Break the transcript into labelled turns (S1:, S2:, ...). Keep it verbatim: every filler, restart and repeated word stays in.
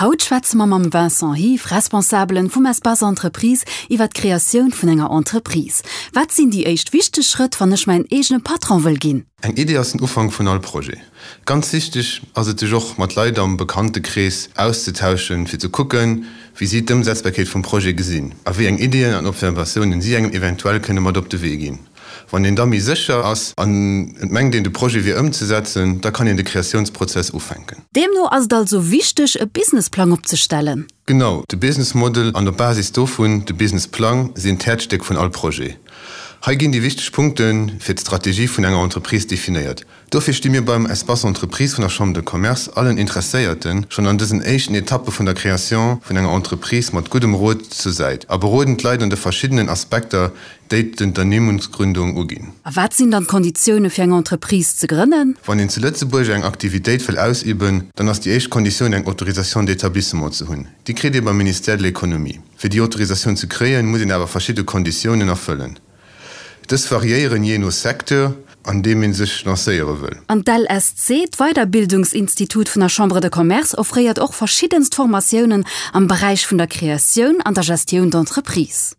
S1: Haut schwätze mer mam Vincent Hief, Responsabelen vum Espace Entreprise, iwwer d'Kreatioun vun enger Entreprise. Wat sinn déi éischt wichteg Schrëtt, wann ech mäin eegene Patron wëll ginn?
S2: Eng Idee ass den Ufank vun all Projet. Ganz wichteg ass et sech och mat Leit am Bekanntekrees auszetauschen, fir ze kucken, wéi si d'Ëmsetzbarkeet vum Projet gesinn a wéi eng Iddien an Observatiounen si engem eventuell kënne mat op de Wee ginn. Wann een da méi sécher ass an et mengt een de Projet wier ëmzesetzen, da kann een de Kreatiounsprozess ufänken.
S1: Deemno ass et also wichteg e Businessplang opzestellen?
S2: Genau, de Business Model an op Basis dovun de Businessplang sinn d'Häerzstéck vun all Projet. Hei ginn déi wichteg Punkte fir d'Strategie vun enger Entreprise definéiert. Dofir sti mir beim Espace Entreprise vun der Chambre de Commerce allen Interesséierten schonn an dësen éischten Etappe vun der Création vun enger Entreprise mat guddem Rot zur Säit a beroden d'Leit an de verschiddenen Aspekter, déi d'Unternehmensgründung uginn.
S1: A wat sinn dann d'Konditioune fir eng Entreprise ze grënnen?
S2: Wann een zu Lëtzebuerg eng Aktivitéit wëll ausüben, dann ass déi éischt Konditioun eng Autorisation d'établissement ze hunn. Déi kritt ee beim Ministère de l'Économie. Fir déi Autorisatioun ze kréien, muss een awer verschidde Konditiounen erfëllen. Dës variéieren jee no Secteur, an deem ee sech lancéiere wëll.
S1: An d'LSC, d'Weiderbildungsinstitut vun der Chambre de Commerce, offréiert och verschiddenst Formatiounen am Beräich vun der Kreatioun an der Gestioun d'entreprise.